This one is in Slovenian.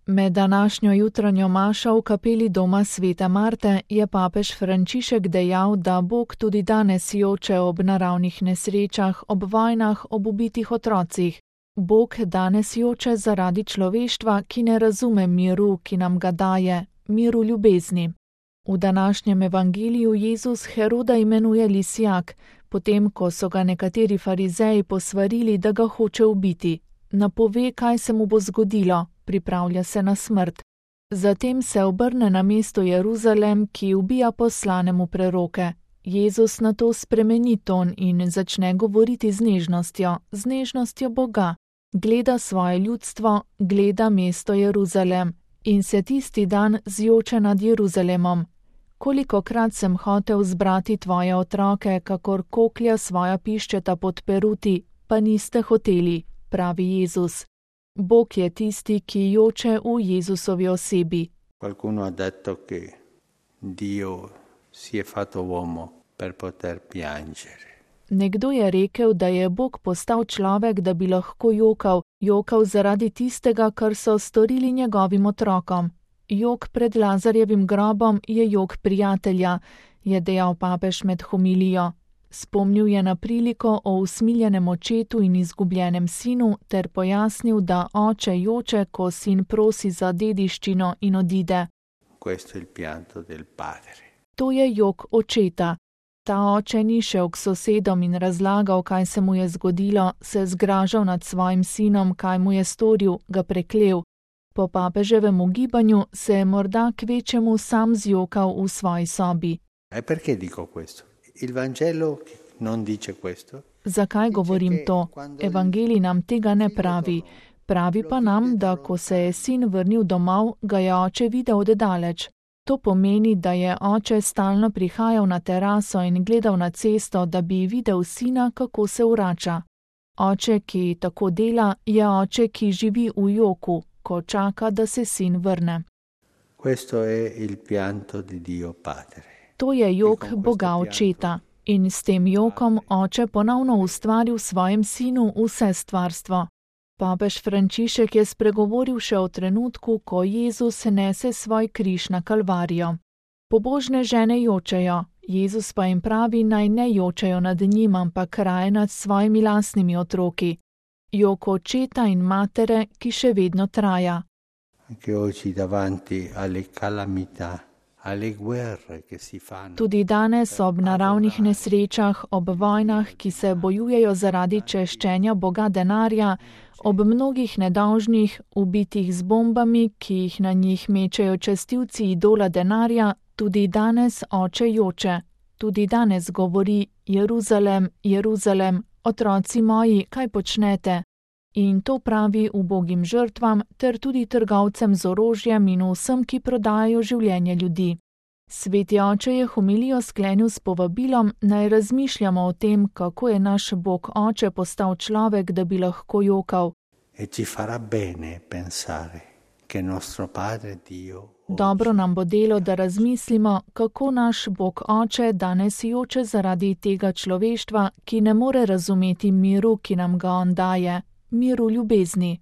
Med današnjo jutranjo mašo v kapeli doma svete Marte je papež Frančišek dejal, da Bog tudi danes joče ob naravnih nesrečah, ob vojnah, ob ubitih otrocih. Bog danes joče zaradi človeštva, ki ne razume miru, ki nam ga daje, miru ljubezni. V današnjem evangeliju Jezus Heroda imenuje lisjak, potem ko so ga nekateri farizeji posvarili, da ga hoče ubiti. Napove, kaj se mu bo zgodilo, pripravlja se na smrt. Zatem se obrne na mesto Jeruzalem, ki ubija poslanemu preroke. Jezus nato spremeni ton in začne govoriti z nežnostjo Boga. Gleda svoje ljudstvo, gleda mesto Jeruzalem in se tisti dan zjoče nad Jeruzalemom. Kolikokrat sem hotel zbrati tvoje otroke, kakor koklja svoja piščeta pod peruti, pa niste hoteli, pravi Jezus. Bog je tisti, ki joče v Jezusovi osebi. Qualcuno ha detto che Dio si è fatto uomo per poter piangere. Nekdo je rekel, da je Bog postal človek, da bi lahko jokal zaradi tistega, kar so storili njegovim otrokom. Jok pred Lazarjevim grobom je jok prijatelja, je dejal papež med homilijo. Spomnil je na priliko o usmiljenem očetu in izgubljenem sinu ter pojasnil, da oče joče, ko sin prosi za dediščino in odide. Questo è il pianto del padre. To je jok očeta. Ta oče ni šel k sosedom in razlagal, kaj se mu je zgodilo, se zgražal nad svojim sinom, kaj mu je storil, ga preklel. Po papeževem ugibanju se je morda kvečemu sam zjokal v svoji sobi. Perché dico questo? Il Vangelo non dice questo. Zakaj govorim to? Evangelij nam tega ne pravi. Pravi pa nam, da ko se je sin vrnil domov, ga je oče videl od daleč. To pomeni, da je oče stalno prihajal na teraso in gledal na cesto, da bi videl sina, kako se vrača. Oče, ki tako dela, je oče, ki živi v joku, ko čaka, da se sin vrne. Questo è il pianto di Dio Padre. To je jok Boga očeta. In s tem jokom oče ponovno ustvari v svojem sinu vse stvarstvo. Papež Frančišek je spregovoril še o trenutku, ko Jezus nese svoj križ na Kalvarijo. Pobožne žene jočejo, Jezus pa jim pravi, naj ne jočejo nad njim, ampak raje nad svojimi lastnimi otroki. Jok očeta in matere, ki še vedno traja. Anche oggi davanti alle calamità, alle guerre che si fanno. Tudi danes ob naravnih nesrečah, ob vojnah, ki se bojujejo zaradi češčenja Boga denarja, ob mnogih nedolžnih, ubitih z bombami, ki jih na njih mečejo častilci idola denarja, tudi danes oče joče. Tudi danes govori: Jeruzalem, Jeruzalem, otroci moji, kaj počnete? In to pravi ubogim žrtvam ter tudi trgovcem z orožjem in vsem, ki prodajajo življenje ljudi. Sveti oče je homilijo sklenil s povabilom, naj razmišljamo o tem, kako je naš Bog oče postal človek, da bi lahko jokal. Dobro nam bo delo, da razmislimo, kako naš Bog oče danes joče zaradi tega človeštva, ki ne more razumeti miru, ki nam ga on daje, miru ljubezni.